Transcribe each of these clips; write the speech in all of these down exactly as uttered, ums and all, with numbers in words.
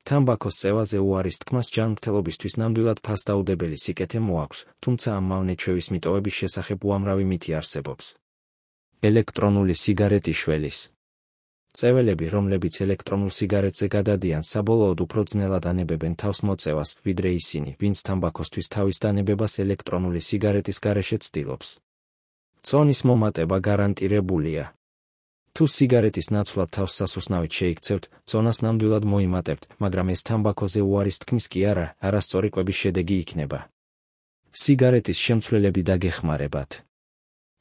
თამბაქოს წევაზე უარის თქმას ჯანმრთელობისთვის ნამდვილად ფასდაუდებელი სიკეთე მოაქვს, თუმცა ამ მავნე-ჩვევის მიტოვების შესახებ უამრავი მითი არსებობს. ელექტრონული სიგარეტი შველის წეველები, რომლებიც ელექტრონულ სიგარეტზე გადადიან, საბოლოოდ უფრო ძნელად ანებებენ თავს მოწევას, ვიდრე ისინი, ვინც თამბაქოსთვის თავის დანებებას ელექტრონული სიგარეტის გარეშე ცდილობს. წონის მომატება გარანტირებულია. თუ სიგარეტის ნაცვლად თავს სასუსნავით შეიქცევთ, წონას ნამდვილად მოიმატებთ, მაგრამ ეს თამბაქოზე უარის თქმის კი არა, არასწორი კვების შედეგი იქნება. სიგარეტის შემცვლელები დაგეხმარებათ.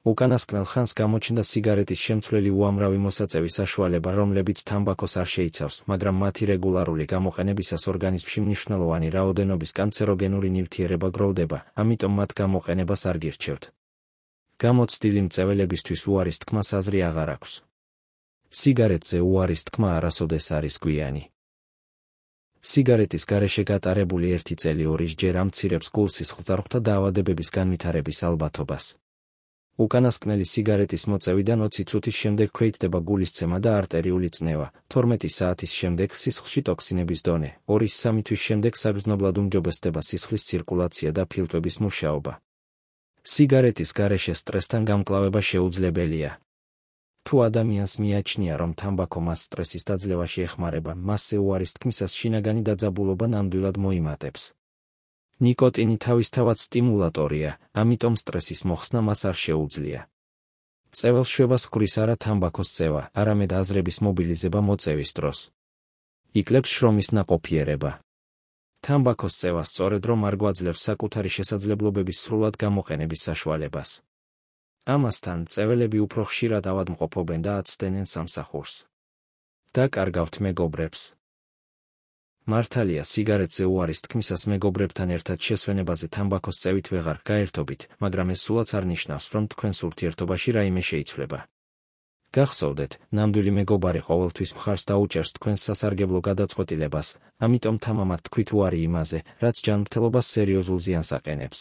უკანასკნელ ხანს გამოჩნდა სიგარეტის შემცვლელი უამრავი მოსაწევი საშუალება, რომლებიც თამბაქოს არ შეიცავს, მაგრამ მათი რეგულარული გამოყენებისას ორგანიზმში მნიშვნელოვანი რაოდენობის კანცეროგენური ნივთიერება გროვდება, ამიტომ მათ გამოყენებას არ გირჩევთ. გამოცდილი მწეველებისთვის უარის თქმას აზრი აღარ აქვს. სიგარეტზე უარის თქმა არასოდეს არის გვიანი. სიგარეტის გარეშე გატარებული ერთი წელი ორისჯერ ამცირებს გულსისხლძარღვთა დაავადებების განვითარების ალბათობას. უკანასკნელი სიგარეტის მოწევიდან ოცი წუთის შემდეგ ქვეითდება გულისცემა და არტერიული წნევა, თორმეტი საათის შემდეგ სისხლში ტოქსინების დონე, ორი სამი თვის შემდეგ საგრძნობლად უმჯობესდება სისხლის ცირკულაცია და ფილტვების მუშაობა. სიგარეტის გარეშე სტრესთან გამკლავება შეუძლებელია. თუ ადამიანს მიაჩნია, რომ თამბაქო მას სტრესის დაძლევაში ეხმარება, მასზე უარის თქმისას შინაგანი დაძაბულობა ნამდვილად მოიმატებს. ნიკოტინი თავისთავად სტიმულატორია, ამიტომ სტრესის მოხსნა მას არ შეუძლია. წეველს შვებას ხურის არა თამბაქოს წევა, არამედ აზრების მობილიზება მოწევის დროს. იკლებს შრომის ნაყოფიერება. თამბაქოს წევა სწორედ რომ არ გვაძლევს საკუთარი შესაძლებლობების სრულად გამოყენების საშუალებას. ამასთან, წეველები უფრო ხშირად ავადმყოფობენ და აცდენენ სამსახურს. დაკარგავთ მეგობრებს. მართალია, სიგარეტზე უარის თქმისას მეგობრებთან ერთად შესვენებაზე თამბაქოს წევით ვეღარ გაერთობით, მაგრამ ეს სულაც არ ნიშნავს, რომ თქვენს ურთიერთობაში რაიმე შეიცვლება. გახსოვდეთ, ნამდვილი მეგობარი ყოველთვის მხარს დაუჭერს თქვენს სასარგებლო გადაწყვეტილებას, ამიტომ თამამად თქვით უარი იმაზე, რაც ჯანმრთელობას სერიოზულ ზიანს აყენებს.